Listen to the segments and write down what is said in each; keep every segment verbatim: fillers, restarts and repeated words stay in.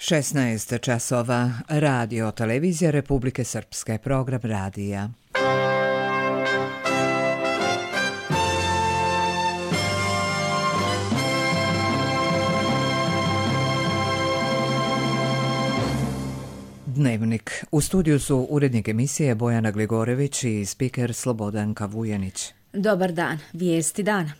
šesnaest časova, radio televizija Republike Srpske, program radija. Dnevnik. U studiju su urednik emisije Bojana Gligorević i spiker Slobodanka Vujanić. Dobar dan, vijesti dana.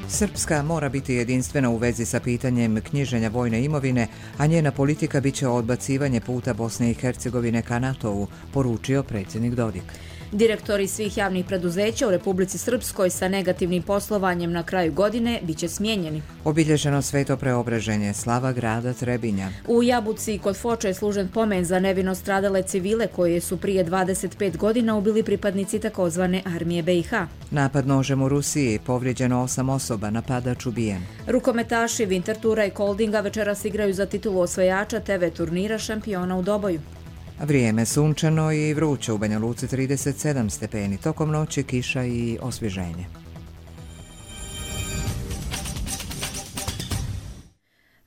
Srpska mora biti jedinstvena u vezi sa pitanjem knjiženja vojne imovine, a njena politika biće odbacivanje puta Bosne i Hercegovine ka NATO-u, poručio predsjednik Dodik. Direktori svih javnih preduzeća u Republici Srpskoj sa negativnim poslovanjem na kraju godine biće smijenjeni. Obilježeno sveto preobraženje slava grada Trebinja. U Jabuci kod Foče je služen pomen za nevino stradale civile koje su prije dvadeset pet godina ubili pripadnici takozvane armije B i H. Napad nožem u Rusiji, povrijeđeno osam osoba, napadač ubijen. Rukometaši Wintertura i Koldinga večeras igraju za titulu osvajača te ve turnira šampiona u Doboju. Vrijeme sunčano i vruće, u Banja Luci trideset sedam stepeni, tokom noći kiša i osvježenje.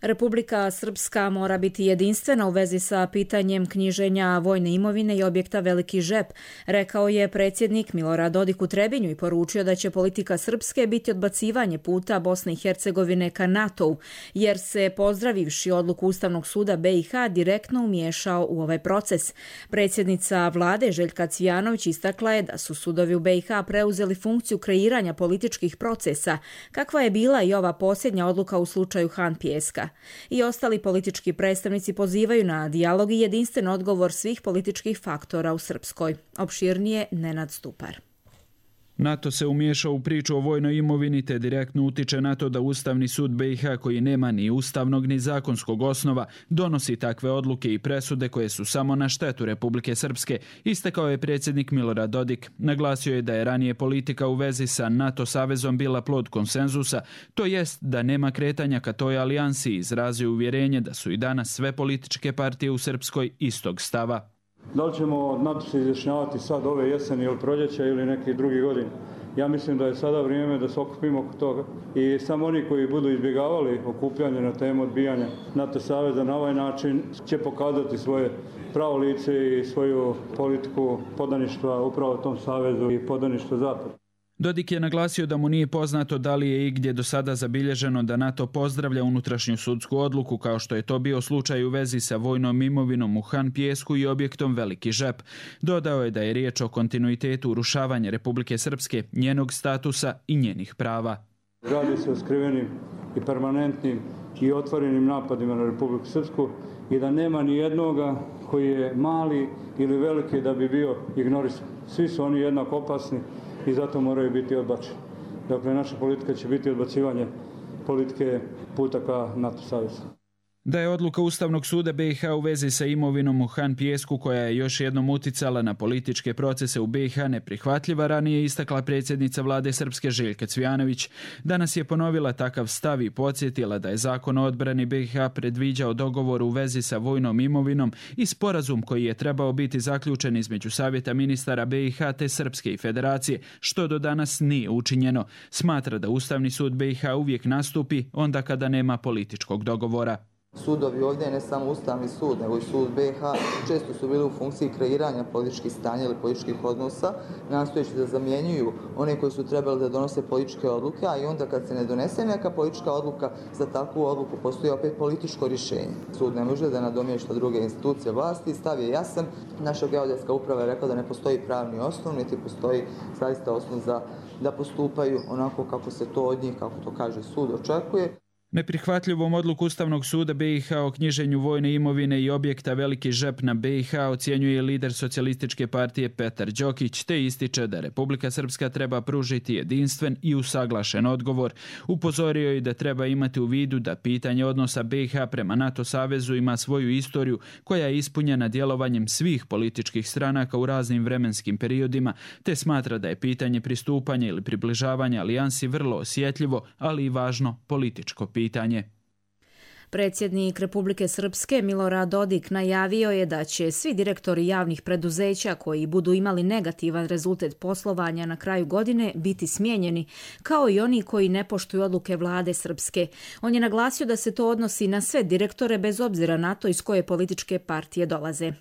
Republika Srpska mora biti jedinstvena u vezi sa pitanjem knjiženja vojne imovine i objekta Veliki žep, rekao je predsjednik Milorad Dodik u Trebinju i poručio da će politika Srpske biti odbacivanje puta Bosne i Hercegovine ka NATO-u, jer se, pozdravivši odluku Ustavnog suda B i H, direktno umiješao u ovaj proces. Predsjednica vlade Željka Cvijanović istakla je da su sudovi u B i H preuzeli funkciju kreiranja političkih procesa, kakva je bila i ova posljednja odluka u slučaju Han Pijeska. I ostali politički predstavnici pozivaju na dijalog i jedinstven odgovor svih političkih faktora u Srpskoj. Opširnije Nenad Stupar. NATO se umiješao u priču o vojnoj imovini te direktno utiče na to da Ustavni sud B i H, koji nema ni ustavnog ni zakonskog osnova, donosi takve odluke i presude koje su samo na štetu Republike Srpske, istakao je predsjednik Milorad Dodik. Naglasio je da je ranije politika u vezi sa NATO savezom bila plod konsenzusa, to jest da nema kretanja ka toj alijansi, i izrazio uvjerenje da su i danas sve političke partije u Srpskoj istog stava. Da li ćemo NATO se izjašnjavati sad ove jeseni ili proljeća ili neki drugi godin? Ja mislim da je sada vrijeme da se okupimo oko toga i samo oni koji budu izbjegavali okupljanje na temu odbijanja NATO saveza na ovaj način će pokazati svoje pravo lice i svoju politiku podaništva upravo tom savezu i podaništva Zapada. Dodik je naglasio da mu nije poznato da li je igdje do sada zabilježeno da NATO pozdravlja unutrašnju sudsku odluku, kao što je to bio slučaj u vezi sa vojnom imovinom u Han Pijesku i objektom Veliki žep. Dodao je da je riječ o kontinuitetu urušavanja Republike Srpske, njenog statusa i njenih prava. Radi se o skrivenim i permanentnim i otvorenim napadima na Republiku Srpsku i da nema ni jednoga koji je mali ili veliki da bi bio ignorisan. Svi su oni jednako opasni i zato moraju biti odbačeni. Dakle, naša politika će biti odbacivanje politike puta ka NATO savezu. Da je odluka Ustavnog suda B i H u vezi sa imovinom u Han Pijesku, koja je još jednom uticala na političke procese u B i H, neprihvatljiva, ranije istakla predsjednica vlade Srpske Željka Cvijanović. Danas je ponovila takav stav i podsjetila da je zakon o odbrani B i H predviđao dogovor u vezi sa vojnom imovinom i sporazum koji je trebao biti zaključen između Savjeta ministara B i H te Srpske i Federacije, što do danas nije učinjeno. Smatra da Ustavni sud B i H uvijek nastupi onda kada nema političkog dogovora. Sudovi ovdje, ne samo Ustavni sud, nego i sud B i H, često su bili u funkciji kreiranja političkih stanja ili političkih odnosa, nastojeći da zamjenjuju one koji su trebali da donose političke odluke, a i onda kad se ne donese neka politička odluka, za takvu odluku postoji opet političko rješenje. Sud ne može da nadomješta druge institucije vlasti, stav je jasan. Naša geodetska uprava je rekla da ne postoji pravni osnov, niti postoji zaista osnov za da postupaju onako kako se to od njih, kako to kaže sud, očekuje. Neprihvatljivom odluku Ustavnog suda B i H o knjiženju vojne imovine i objekta Veliki žep na B i H ocjenjuje lider Socijalističke partije Petar Đokić, te ističe da Republika Srpska treba pružiti jedinstven i usaglašen odgovor. Upozorio je da treba imati u vidu da pitanje odnosa B i H prema NATO savezu ima svoju istoriju koja je ispunjena djelovanjem svih političkih stranaka u raznim vremenskim periodima, te smatra da je pitanje pristupanja ili približavanja alijansi vrlo osjetljivo, ali i važno političko pitanje. Predsjednik Republike Srpske Milorad Dodik najavio je da će svi direktori javnih preduzeća koji budu imali negativan rezultat poslovanja na kraju godine biti smijenjeni, kao i oni koji ne poštuju odluke vlade Srpske. On je naglasio da se to odnosi na sve direktore bez obzira na to iz koje političke partije dolaze.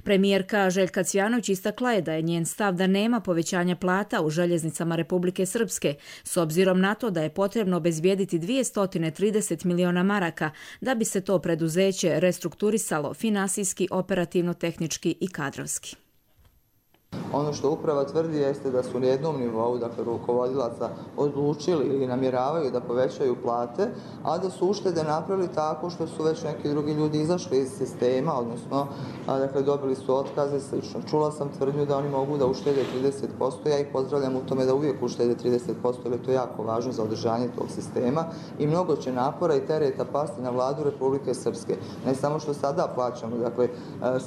Premijerka Željka Cvjanović istakla je da je njen stav da nema povećanja plata u željeznicama Republike Srpske, s obzirom na to da je potrebno obezbijediti dvjesto trideset miliona maraka da bi se to preduzeće restrukturisalo finansijski, operativno, tehnički i kadrovski. Ono što uprava tvrdi jeste da su na jednom nivou, dakle rukovodilaca, odlučili ili namjeravaju da povećaju plate, a da su uštede napravili tako što su već neki drugi ljudi izašli iz sistema, odnosno dakle, dobili su otkaze, slično. Čula sam tvrdnju da oni mogu da uštede trideset posto, ja ih pozdravljam u tome da uvijek uštede trideset posto, jer je to jako važno za održanje tog sistema i mnogo će napora i tereta pasti na vladu Republike Srpske. Ne samo što sada plaćamo, dakle,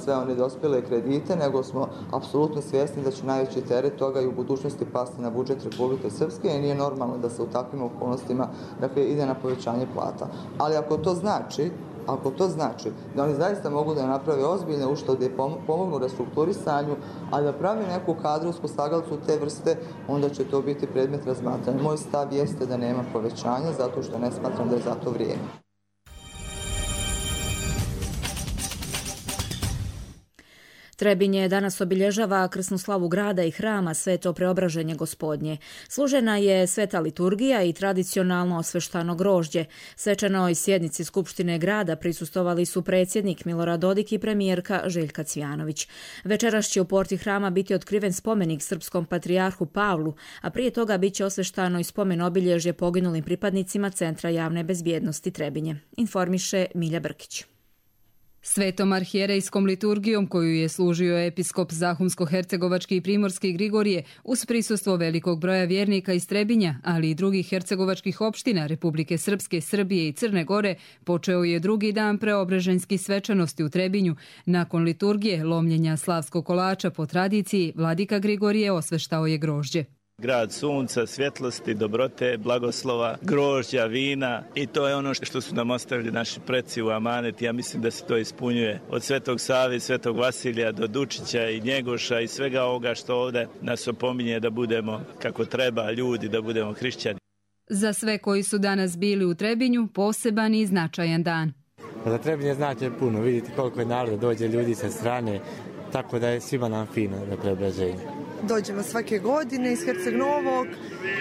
sve one dospjele kredite, nego smo apsolutno svjesni da će najveći teret toga i u budućnosti pasti na budžet Republike Srpske i nije normalno da se u takvim okolnostima dakle, ide na povećanje plata. Ali ako to znači, ako to znači da oni zaista mogu da naprave ozbiljne uštede i pomognu restrukturisanju, a da pravi neku kadrovsku slagalicu te vrste, onda će to biti predmet razmatranja. Moj stav jeste da nema povećanja, zato što ne smatram da je za to vrijeme. Trebinje danas obilježava krsnu slavu grada i hrama Sveto Preobraženje Gospodnje. Služena je sveta liturgija i tradicionalno osveštano grožđe. Svečanoj sjednici Skupštine grada prisustvovali su predsjednik Milorad Dodik i premijerka Željka Cvjanović. Večeras će u porti hrama biti otkriven spomenik srpskom patrijarhu Pavlu, a prije toga bit će osveštano i spomen obilježje poginulim pripadnicima Centra javne bezbjednosti Trebinje. Informiše Milja Brkić. Svetom arhijerejskom liturgijom koju je služio episkop Zahumsko-hercegovački i primorski Grigorije uz prisustvo velikog broja vjernika iz Trebinja, ali i drugih hercegovačkih opština Republike Srpske, Srbije i Crne Gore, počeo je drugi dan preobreženjskih svečanosti u Trebinju. Nakon liturgije lomljenja slavskog kolača po tradiciji, vladika Grigorije osveštao je grožđe. Grad sunca, svjetlosti, dobrote, blagoslova, grožđa, vina i to je ono što su nam ostavili naši preci u amanet. Ja mislim da se to ispunjuje od Svetog Save, Svetog Vasilija do Dučića i Njegoša i svega ovoga što ovdje nas opominje da budemo kako treba ljudi, da budemo hrišćani. Za sve koji su danas bili u Trebinju, poseban i značajan dan. Za Trebinje znači puno, vidite koliko je naroda, dođe ljudi sa strane, tako da je svima nam fino na preobraženju. Dođemo svake godine iz Herceg Novog,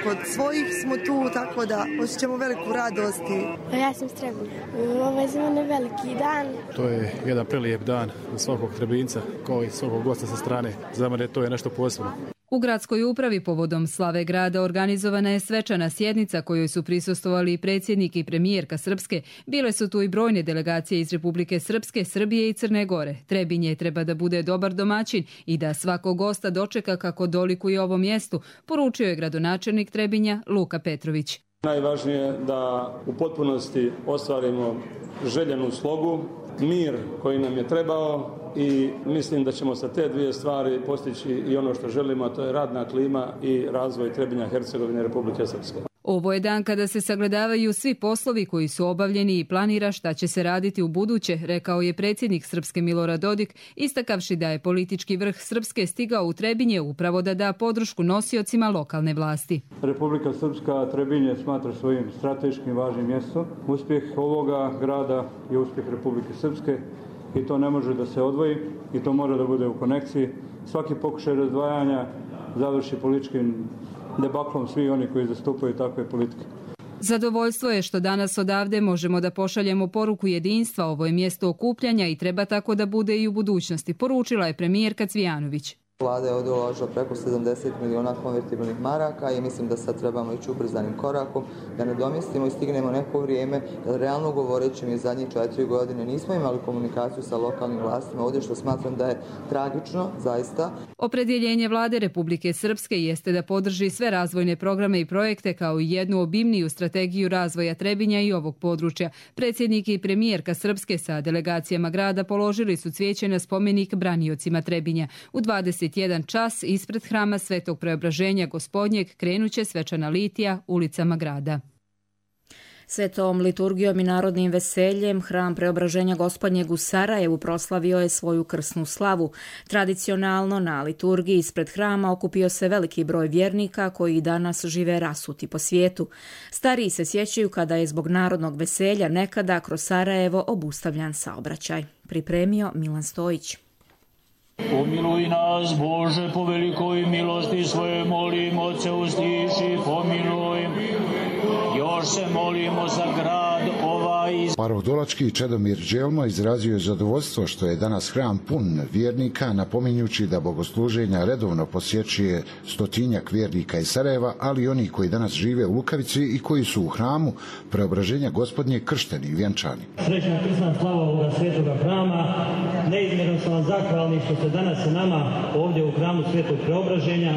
kod svojih smo tu, tako da osjećamo veliku radost. Ja sam s Trebinja. Ovo je za mene veliki dan. To je jedan prelijep dan za svakog Trebinca, kao i svakog gosta sa strane. Za mene to je nešto posebno. U gradskoj upravi povodom slave grada organizovana je svečana sjednica kojoj su prisustvovali i predsjednik i premijerka Srpske. Bile su tu i brojne delegacije iz Republike Srpske, Srbije i Crne Gore. Trebinje treba da bude dobar domaćin i da svakog gosta dočeka kako dolikuje ovom mjestu, poručio je gradonačelnik Trebinja Luka Petrović. Najvažnije je da u potpunosti ostvarimo željenu slogu, mir koji nam je trebao i mislim da ćemo sa te dvije stvari postići i ono što želimo, a to je radna klima i razvoj Trebinja, Hercegovine i Republike Srpske. Ovo je dan kada se sagledavaju svi poslovi koji su obavljeni i planira šta će se raditi u buduće, rekao je predsjednik Srpske Milorad Dodik, istakavši da je politički vrh Srpske stigao u Trebinje upravo da da podršku nosiocima lokalne vlasti. Republika Srpska Trebinje smatra svojim strateškim važnim mjestom. Uspjeh ovoga grada je uspjeh Republike Srpske i to ne može da se odvoji i to mora da bude u konekciji. Svaki pokušaj razdvajanja završi političkim debaklom svi oni koji zastupaju takve politike. Zadovoljstvo je što danas odavde možemo da pošaljemo poruku jedinstva. Ovo je mjesto okupljanja i treba tako da bude i u budućnosti, poručila je premijerka Cvjanović. Vlada je ovdje uložila preko sedamdeset miliona konvertibilnih maraka i mislim da sad trebamo ići ubrzanim korakom da nadomjestimo i stignemo neko vrijeme, jer realno govoreći mi zadnjih četiri godine nismo imali komunikaciju sa lokalnim vlastima ovdje, što smatram da je tragično, zaista. Opredjeljenje vlade Republike Srpske jeste da podrži sve razvojne programe i projekte kao i jednu obimniju strategiju razvoja Trebinja i ovog područja. Predsjednik i premijerka Srpske sa delegacijama grada položili su cvijeće na spomenik braniocima Trebinja. U dvadeset jedan čas ispred hrama Svetog Preobraženja Gospodnjeg krenuće svečana litija ulicama grada. Svetom liturgijom i narodnim veseljem Hram Preobraženja Gospodnjeg u Sarajevu proslavio je svoju krsnu slavu. Tradicionalno na liturgiji ispred hrama okupio se veliki broj vjernika koji danas žive rasuti po svijetu. Stariji se sjećaju kada je zbog narodnog veselja nekada kroz Sarajevo obustavljan saobraćaj. Pripremio Milan Stojić. Pomiluj nas, Bože, po velikoj milosti svoje molimo, Oče usliši, pomiluj. Još se molimo za grad ovaj. Paroh Dolački Čedomir Đelmo izrazio je zadovoljstvo što je danas hram pun vjernika, napominjući da bogosluženja redovno posjećuje stotinjak vjernika iz Sarajeva, ali i oni koji danas žive u Lukavici i koji su u hramu Preobraženja Gospodnje kršteni i vjenčani. Srećna krsna slava ovoga svetoga hrama, neizmjerno sam vam zahvalni što ste danas sa nama ovdje u hramu Svetog Preobraženja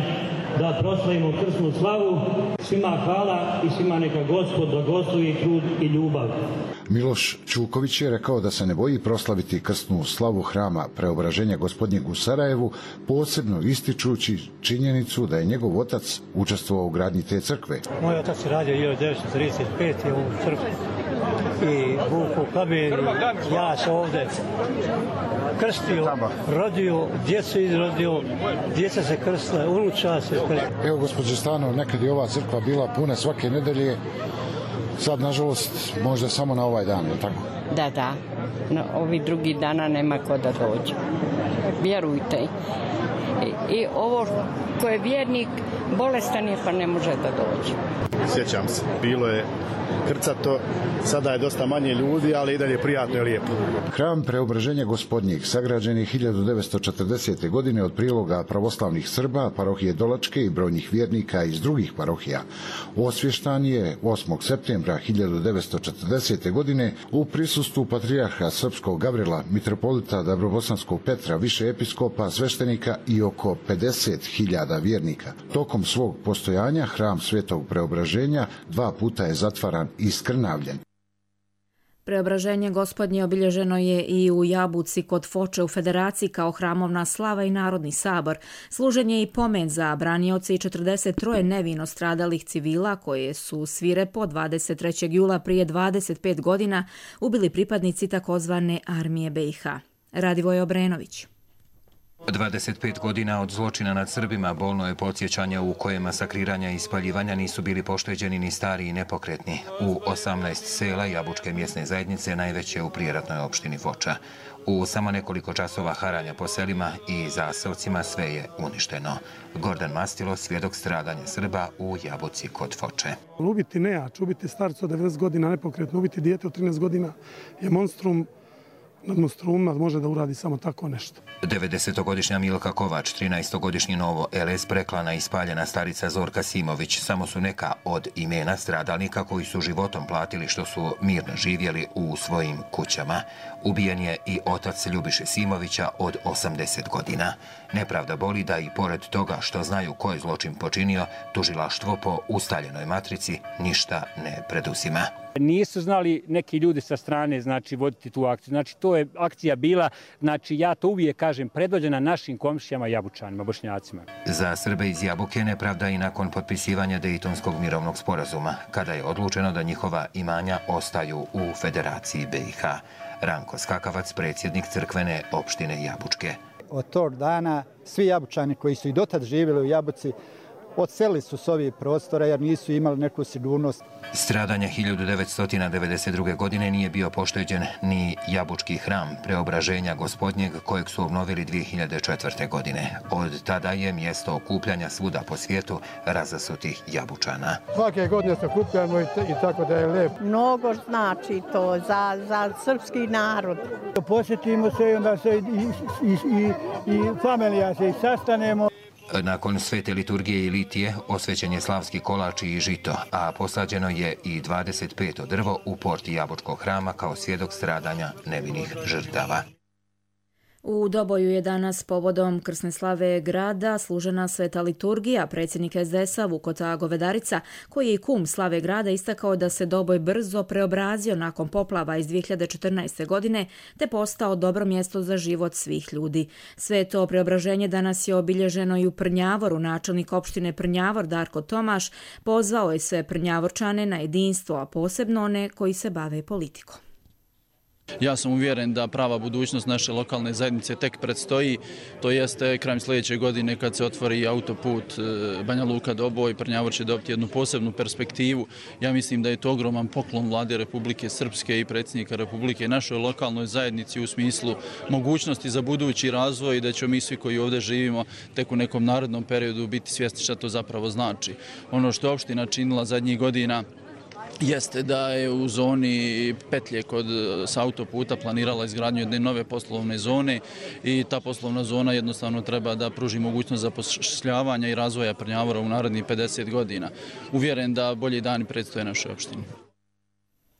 da proslavimo krsnu slavu. Svima hvala i svima neka Gospod blagoslovi trud i ljubav. Miloš Čuković je rekao da se ne boji proslaviti krsnu slavu hrama Preobraženja Gospodnjeg u Sarajevu, posebno ističući činjenicu da je njegov otac učestvovao u gradnji te crkve. Moj otac je radio hiljadu devetsto trideset pete u crkvi i Vuku Kabir, ja sam ovdje krstio, rodio, djecu izrodio, djeca se krstila, unuča se krstila. Evo, gospođe Stano, nekad je ova crkva bila puna svake nedelje, sad, nažalost, možda samo na ovaj dan, je tako? Da, da. Na ovi drugi dana nema ko da dođe. Vjerujte. I, i ovo ko je vjernik, bolestan je pa ne može da dođe. Sjećam se, bilo je krcato, sada je dosta manje ljudi, ali i dalje prijatno i lijepo. Hram Preobraženja Gospodnjeg sagrađen je hiljadu devetsto četrdesete. godine od priloga pravoslavnih Srba, parohije Dolačke i brojnih vjernika iz drugih parohija. Osvještan je osmog septembra hiljadu devetsto četrdesete. godine u prisustvu patrijarha srpskog Gavrila, mitropolita Dabrobosanskog Petra, više episkopa, sveštenika i oko pedeset hiljada vjernika. Tokom svog postojanja hram Svetog Preobraženja dva puta je zatvaran i skrnavljen. Preobraženje Gospodnje obilježeno je i u Jabuci kod Foče u Federaciji kao hramovna slava i Narodni sabor. Služen je i pomen za branioce i četrdeset troje nevino stradalih civila koje su svirepo dvadeset trećeg jula prije dvadeset pet godina ubili pripadnici takozvane armije B i H. Radivoj Obrenović. dvadeset pet godina od zločina nad Srbima bolno je podsjećanje u kojem masakriranja i spaljivanja nisu bili pošteđeni ni stari i nepokretni. U osamnaest sela Jabučke mjesne zajednice, najveće u prijeratnoj opštini Foča. U samo nekoliko časova haranja po selima i zaseocima sve je uništeno. Gordan Mastilo, svjedok stradanja Srba u Jabuci kod Foče. Ubiti nejač, ubiti starca od devedeset godina nepokretno, ubiti dijete od trinaest godina je monstrum. Nad monstruma može da uradi samo tako nešto. devedesetogodišnja Milka Kovač, trinaestogodišnji Novo L S preklana i spaljena starica Zorka Simović samo su neka od imena stradalnika koji su životom platili što su mirno živjeli u svojim kućama. Ubijen je i otac Ljubiše Simovića od osamdeset godina. Nepravda boli da i pored toga što znaju ko je zločin počinio, tužilaštvo po ustaljenoj matrici ništa ne preduzima. Nisu znali neki ljudi sa strane, znači, voditi tu akciju. Znači, to je akcija bila, znači, ja to uvijek kažem, predvođena našim komšijama Jabučanima, Bošnjacima. Za Srbe iz Jabuke nepravda i nakon potpisivanja Dejtonskog mirovnog sporazuma, kada je odlučeno da njihova imanja ostaju u Federaciji B i H. Ranko Skakavac, predsjednik crkvene opštine Jabučke. Od tog dana svi Jabučani koji su i dotad živjeli u Jabuci odselili su s ovih prostora jer nisu imali neku sigurnost. Stradanja hiljadu devetsto devedeset druge. godine nije bio pošteđen ni Jabučki hram Preobraženja Gospodnjeg kojeg su obnovili dvije hiljade četvrte. godine. Od tada je mjesto okupljanja svuda po svijetu razasutih Jabučana. Svake godine se okupljamo i, i tako da je lijepo. Mnogo znači to za, za srpski narod. Posjetimo se i onda se i, i, i, i familija se i sastanemo. Nakon svete liturgije i litije osvećen je slavski kolač i žito, a posađeno je i dvadeset peto drvo u porti Jabučkog hrama kao svjedok stradanja nevinih žrtava. U Doboju je danas povodom krsne slave grada služena sveta liturgija. Predsjednik es de esa Vukota Govedarica, koji je i kum slave grada, istakao da se Doboj brzo preobrazio nakon poplava iz dvije hiljade četrnaeste. godine te postao dobro mjesto za život svih ljudi. Sve to preobraženje danas je obilježeno i u Prnjavoru. Načelnik opštine Prnjavor Darko Tomaš pozvao je sve Prnjavorčane na jedinstvo, a posebno one koji se bave politikom. Ja sam uvjeren da prava budućnost naše lokalne zajednice tek predstoji, to jeste krajem sljedeće godine kad se otvori autoput Banja Luka Doboj. Prnjavor će dobiti jednu posebnu perspektivu. Ja mislim da je to ogroman poklon Vlade Republike Srpske i predsjednika Republike našoj lokalnoj zajednici u smislu mogućnosti za budući razvoj i da ćemo mi svi koji ovdje živimo tek u nekom narednom periodu biti svjesni šta to zapravo znači. Ono što je opština činila zadnjih godina jeste da je u zoni petlje kod s autoputa planirala izgradnju jedne nove poslovne zone i ta poslovna zona jednostavno treba da pruži mogućnost zapošljavanja i razvoja Prnjavora u narednih pedeset godina. Uvjeren da bolji dani predstoje našoj opštini.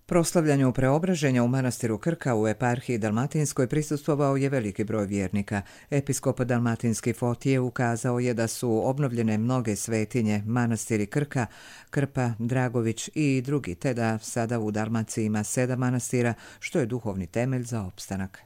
Proslavljanju preobraženja u manastiru Krka u eparhiji Dalmatinskoj prisustvovao je veliki broj vjernika. Episkop Dalmatinski Fotije ukazao je da su obnovljene mnoge svetinje, manastiri Krka, Krpa, Dragović i drugi, te da sada u Dalmaciji ima sedam manastira, što je duhovni temelj za opstanak.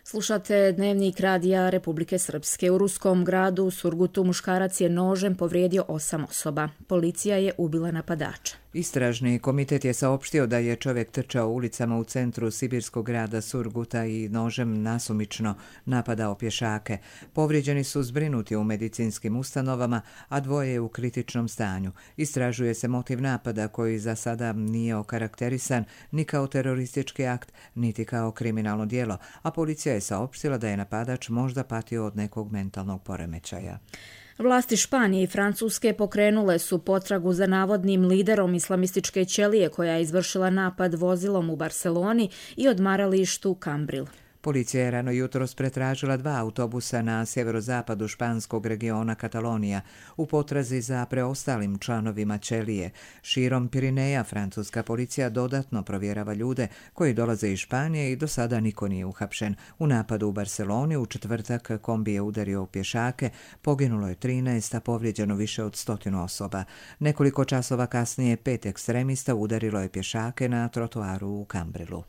Slušate Dnevnik radija Republike Srpske. U ruskom gradu Surgutu muškarac je nožem povrijedio osam osoba. Policija je ubila napadača. Istražni komitet je saopštio da je čovjek trčao ulicama u centru sibirskog grada Surguta i nožem nasumično napadao pješake. Povrijeđeni su zbrinuti u medicinskim ustanovama, a dvoje je u kritičnom stanju. Istražuje se motiv napada koji za sada nije okarakterisan ni kao teroristički akt, niti kao kriminalno djelo, a policija je saopštila da je napadač možda patio od nekog mentalnog poremećaja. Vlasti Španije i Francuske pokrenule su potragu za navodnim liderom islamističke ćelije koja je izvršila napad vozilom u Barceloni i odmaralištu Cambril. Policija je rano jutros pretražila dva autobusa na sjeverozapadu španskog regiona Katalonija u potrazi za preostalim članovima ćelije. Širom Pirineja francuska policija dodatno provjerava ljude koji dolaze iz Španije i do sada niko nije uhapšen. U napadu u Barceloni u četvrtak kombi je udario u pješake, poginulo je trinaest, a povrijeđeno više od stotinu osoba. Nekoliko časova kasnije pet ekstremista udarilo je pješake na trotoaru u Cambrilu.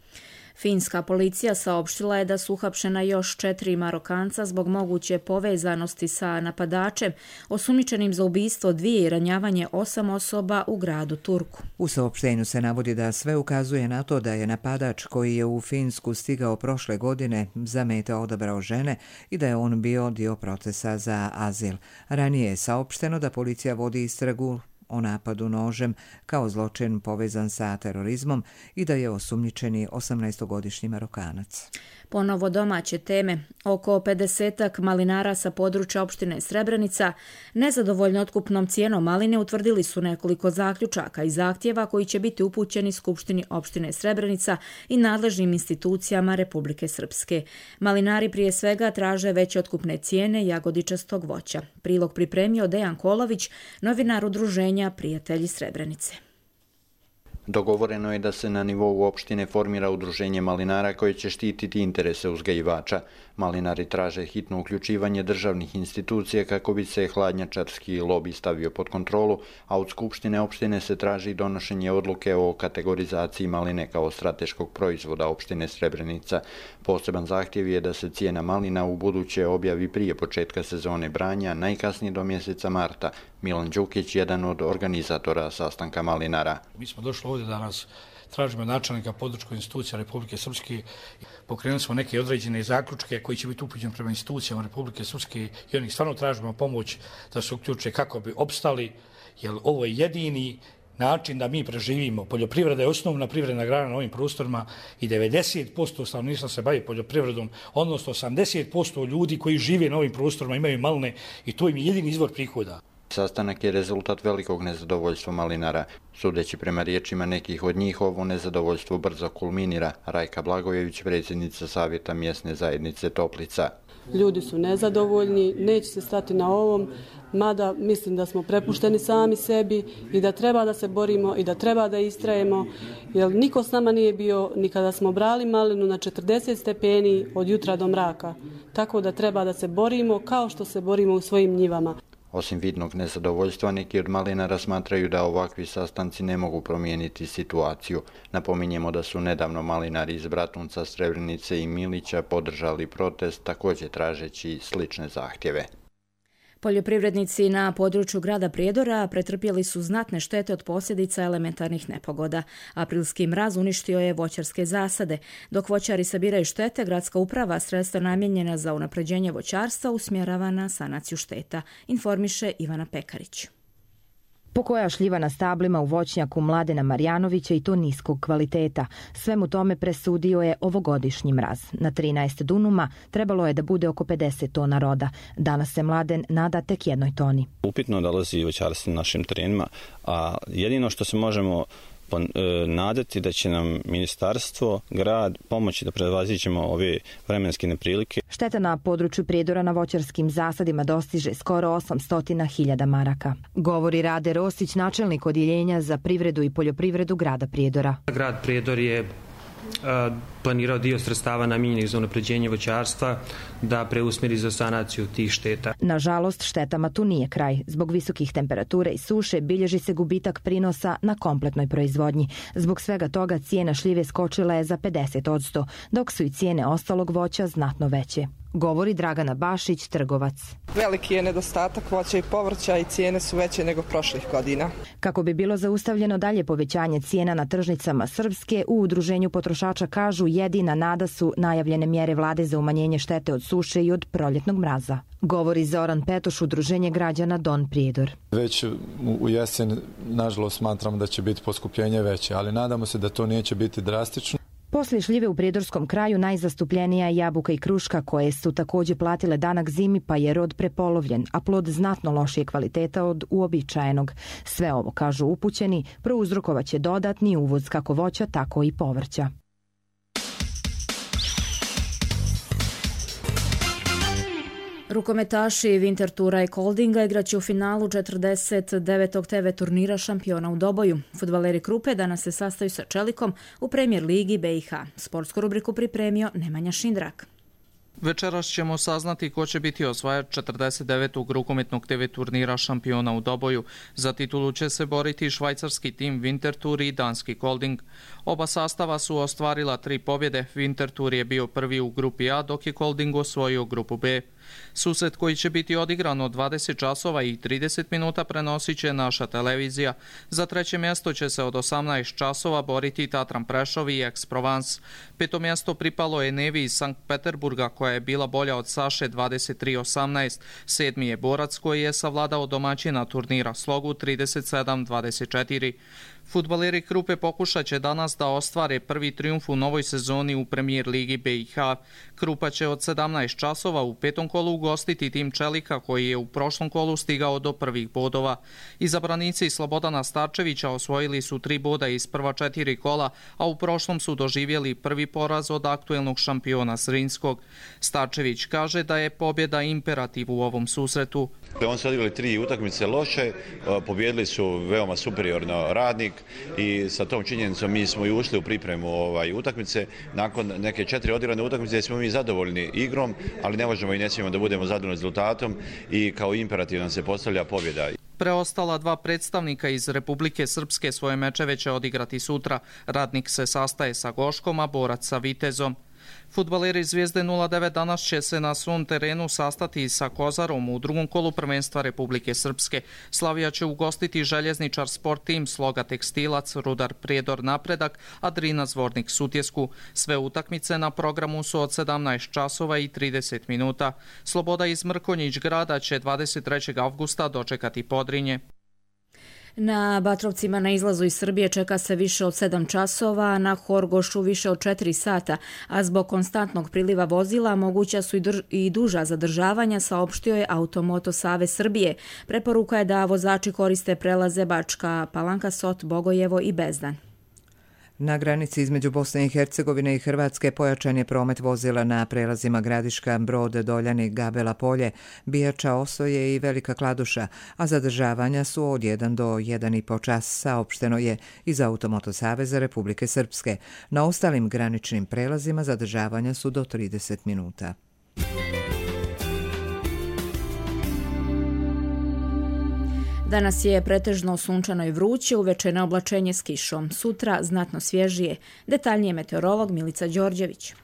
Finska policija saopštila je da su uhapšena još četiri Marokanca zbog moguće povezanosti sa napadačem, osumnjičenim za ubistvo dvije i ranjavanje osam osoba u gradu Turku. U saopštenju se navodi da sve ukazuje na to da je napadač koji je u Finsku stigao prošle godine za mete odabrao žene i da je on bio dio procesa za azil. Ranije je saopšteno da policija vodi istragu o napadu nožem kao zločin povezan sa terorizmom i da je osumnjičeni osamnaestogodišnji Marokanac. Ponovo domaće teme. Oko pedesetak malinara sa područja opštine Srebrenica nezadovoljno otkupnom cijenom maline utvrdili su nekoliko zaključaka i zahtjeva koji će biti upućeni Skupštini opštine Srebrenica i nadležnim institucijama Republike Srpske. Malinari prije svega traže veće otkupne cijene jagodičastog voća. Prilog pripremio Dejan Kolović, novinar udruženja Prijatelji Srebrenice. Dogovoreno je da se na nivou opštine formira udruženje malinara koje će štititi interese uzgajivača. Malinari traže hitno uključivanje državnih institucija kako bi se hladnjačarski lobi stavio pod kontrolu, a od Skupštine opštine se traži donošenje odluke o kategorizaciji maline kao strateškog proizvoda opštine Srebrenica. Poseban zahtjev je da se cijena malina u buduće objavi prije početka sezone branja, najkasnije do mjeseca marta. Milan Đukić, jedan od organizatora sastanka malinara. Mi smo došli ovdje danas, tražimo načelnika područne institucije Republike Srpske, pokrenuli smo neke određene zaključke koji će biti upućeni prema institucijama Republike Srpske i oni stvarno tražimo pomoć da se uključe kako bi opstali, jer ovo je jedini način da mi preživimo. Poljoprivreda je osnovna privredna grana na ovim prostorima i devedeset posto stanovništva se bavi poljoprivredom, odnosno osamdeset posto ljudi koji žive na ovim prostorima imaju maline i to im je jedini izvor prihoda. Sastanak je rezultat velikog nezadovoljstva malinara. Sudeći prema riječima nekih od njih, ovo nezadovoljstvo brzo kulminira. Rajka Blagojević, predsjednica Savjeta mjesne zajednice Toplica. ljudi su nezadovoljni, neće se stati na ovom, mada mislim da smo prepušteni sami sebi i da treba da se borimo i da treba da istrajemo, jer niko s nama nije bio ni kada smo brali malinu na četrdeset stepeni od jutra do mraka. Tako da treba da se borimo kao što se borimo u svojim njivama. Osim vidnog nezadovoljstva, neki od malinara smatraju da ovakvi sastanci ne mogu promijeniti situaciju. Napominjemo da su nedavno malinari iz Bratunca, Srebrenice i Milića podržali protest, također tražeći slične zahtjeve. Poljoprivrednici na području grada Prijedora pretrpjeli su znatne štete od posljedica elementarnih nepogoda. Aprilski mraz uništio je voćarske zasade. Dok voćari sabiraju štete, gradska uprava sredstva namijenjena za unapređenje voćarstva usmjerava na sanaciju šteta, informiše Ivana Pekarić. Pokoja šljiva na stablima u voćnjaku Mladena Marjanovića i to niskog kvaliteta. Svemu tome presudio je ovogodišnji mraz. Na trinaest dunuma trebalo je da bude oko pedeset tona roda. Danas se Mladen nada tek jednoj toni. Upitno dolazi voćarstvo na našim terenima, a jedino što se možemo nadati da će nam ministarstvo, grad pomoći da prevaziđemo ove vremenske neprilike. Šteta na području Prijedora na voćarskim zasadima dostiže skoro osamsto hiljada maraka. Govori Rade Rosić, načelnik odjeljenja za privredu i poljoprivredu grada Prijedora. Grad Prijedor je planirao dio sredstava namijenjenih za unapređenje voćarstva da preusmjeri za sanaciju tih šteta. Nažalost, štetama tu nije kraj. Zbog visokih temperatura i suše bilježi se gubitak prinosa na kompletnoj proizvodnji. Zbog svega toga cijena šljive skočila je za pedeset posto, dok su i cijene ostalog voća znatno veće. Govori Dragana Bašić, trgovac. Veliki je nedostatak voća i povrća i cijene su veće nego prošlih godina. Kako bi bilo zaustavljeno dalje povećanje cijena na tržnicama Srpske, u Udruženju potrošača kažu jedina nada su najavljene mjere vlade za umanjenje štete od suše i od proljetnog mraza. Govori Zoran Petoš, Udruženje građana Don Prijedor. Već u jesen, nažalost, smatram da će biti poskupljenje veće, ali nadamo se da to neće biti drastično. Poslije šljive u prijedorskom kraju najzastupljenija je jabuka i kruška, koje su također platile danak zimi, pa je rod prepolovljen, a plod znatno lošije kvaliteta od uobičajenog. Sve ovo, kažu upućeni, prouzrokovat će dodatni uvoz kako voća, tako i povrća. Rukometaši Winterthura i Koldinga igraće u finalu četrdeset devetog te ve turnira šampiona u Doboju. Fudbaleri Krupe danas se sastaju sa Čelikom u Premier ligi be i ha. Sportsku rubriku pripremio Nemanja Šindrak. Večeras ćemo saznati ko će biti osvajač četrdeset devetog rukometnog te ve turnira šampiona u Doboju. Za titulu će se boriti švajcarski tim Winterthur i danski Kolding. Oba sastava su ostvarila tri pobjede. Winterthur je bio prvi u grupi A, dok je Kolding osvojio grupu B. Susret koji će biti odigran od dvadeset časova i trideset minuta prenosit će naša televizija. Za treće mjesto će se od osamnaest časova boriti Tatran Prešov i Aix-Provence. Peto mjesto pripalo je Nevi iz Sankt Peterburga, koja je bila bolja od Saše dvadeset tri osamnaest. Sedmi je Borac, koji je savladao domaćina turnira Slogu trideset sedam dvadeset četiri. Fudbaleri Krupe pokušat će danas da ostvare prvi trijumf u novoj sezoni u Premier ligi be i ha. Krupa će od sedamnaest časova u petom kolu ugostiti tim Čelika, koji je u prošlom kolu stigao do prvih bodova. Izabranici Slobodana Starčevića osvojili su tri boda iz prva četiri kola, a u prošlom su doživjeli prvi poraz od aktuelnog šampiona Zrinskog. Starčević kaže da je pobjeda imperativ u ovom susretu. Oni su odigrali tri utakmice loše, pobjedili su veoma superiorno Radnik i sa tom činjenicom mi smo i ušli u pripremu ovaj, utakmice. Nakon neke četiri odigrane utakmice smo mi zadovoljni igrom, ali ne možemo i ne smijemo da budemo zadovoljni rezultatom i kao imperativ nam se postavlja pobjeda. Preostala dva predstavnika iz Republike Srpske svoje mečeve će odigrati sutra. Radnik se sastaje sa Goškom, a Borac sa Vitezom. Fudbaleri Zvijezde nula devet danas će se na svom terenu sastati sa Kozarom u drugom kolu prvenstva Republike Srpske. Slavija će ugostiti Željezničar Sport Tim, Sloga Tekstilac, Rudar Prijedor Napredak, a Drina Zvornik Sutjesku. Sve utakmice na programu su od sedamnaest časova i trideset minuta. Sloboda iz Mrkonjić grada će dvadeset trećeg avgusta dočekati Podrinje. Na Batrovcima na izlazu iz Srbije čeka se više od sedam časova, na Horgošu više od četiri sata, a zbog konstantnog priliva vozila moguća su i, drž- i duža zadržavanja, saopštio je Automoto Savez Srbije. Preporuka je da vozači koriste prelaze Bačka Palanka, Sot, Bogojevo i Bezdan. Na granici između Bosne i Hercegovine i Hrvatske pojačan je promet vozila na prelazima Gradiška, Brod, Doljani, Gabela Polje, Bijača, Osoje i Velika Kladuša, a zadržavanja su od jedan do jedan i po čas, saopšteno je iz Automoto Saveza Republike Srpske. Na ostalim graničnim prelazima zadržavanja su do trideset minuta. Danas je pretežno sunčano i vruće, uveče na oblačenje s kišom. Sutra znatno svježije. Detaljnije meteorolog Milica Đorđević.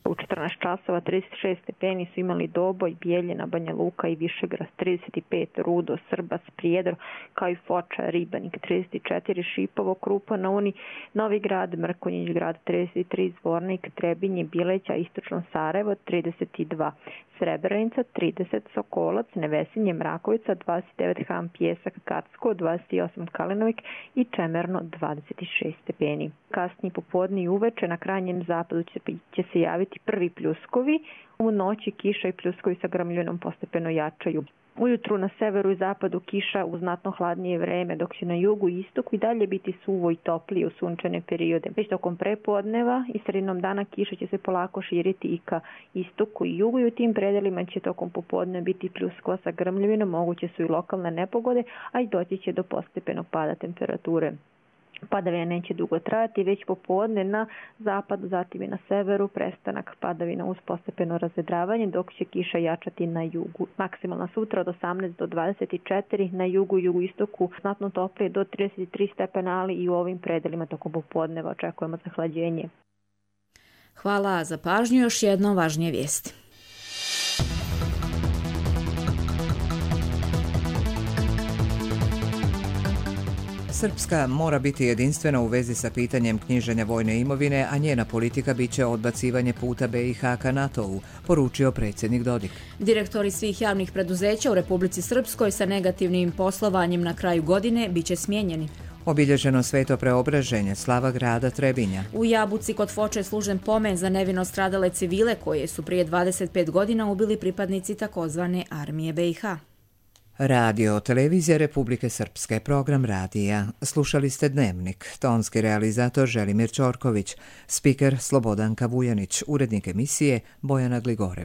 U četrnaest časova trideset šest stepeni su imali Doboj, Bijeljina, Banja Luka i Višegrad trideset pet, Rudo, Srbac, Prijedor, kao i Foča, Ribanik trideset četiri, Šipovo, Krupa na Uni, Novi Grad, Mrkonjić grad trideset tri, Zvornik, Trebinje, Bileća, Istočno Sarajevo trideset dva, Srebrenica trideset, Sokolac, Nevesinje, Mrakovica dvadeset devet, Ham, Pjesak, Kacko dvadeset osam, Kalinovik i Čemerno dvadeset šest stepeni. Kasnije popodne i uveče na krajnjem zapadu će, će se javiti prvi pljuskovi. U noći kiša i pljuskovi sa grmljinom postepeno jačaju. Ujutru na severu i zapadu kiša u znatno hladnije vreme, dok će na jugu i istoku i dalje biti suvo i toplije u sunčane periode. Već tokom prepodneva i sredinom dana kiša će se polako širiti i ka istoku i jugu i u tim predelima će tokom popodne biti pljuskova sa grmljavinom, moguće su i lokalne nepogode, a i doći će do postepenog pada temperature. Padavina neće dugo trajati, već popodne na zapadu, zatim i na severu, prestanak padavina uz postepeno razvedravanje, dok će kiša jačati na jugu. Maksimalna sutra od osamnaest do dvadeset četiri, na jugu i jugoistoku znatno toplije do trideset tri stepena, ali i u ovim predelima tokom popodneva očekujemo zahlađenje. Hvala za pažnju, još jedno važnije vijesti. Srpska mora biti jedinstvena u vezi sa pitanjem knjiženja vojne imovine, a njena politika biće odbacivanje puta B i H ka NATO-u, poručio predsjednik Dodik. Direktori svih javnih preduzeća u Republici Srpskoj sa negativnim poslovanjem na kraju godine biće smijenjeni. Obilježeno sveto preobraženje, slava grada Trebinja. U Jabuci kod Foče je služen pomen za nevino stradale civile koje su prije dvadeset pet godina ubili pripadnici takozvane armije B i H. Radio Televizija Republike Srpske, program radija. Slušali ste Dnevnik, tonski realizator Želimir Ćorković, spiker Slobodanka Vujanić, urednik emisije Bojana Gligorević.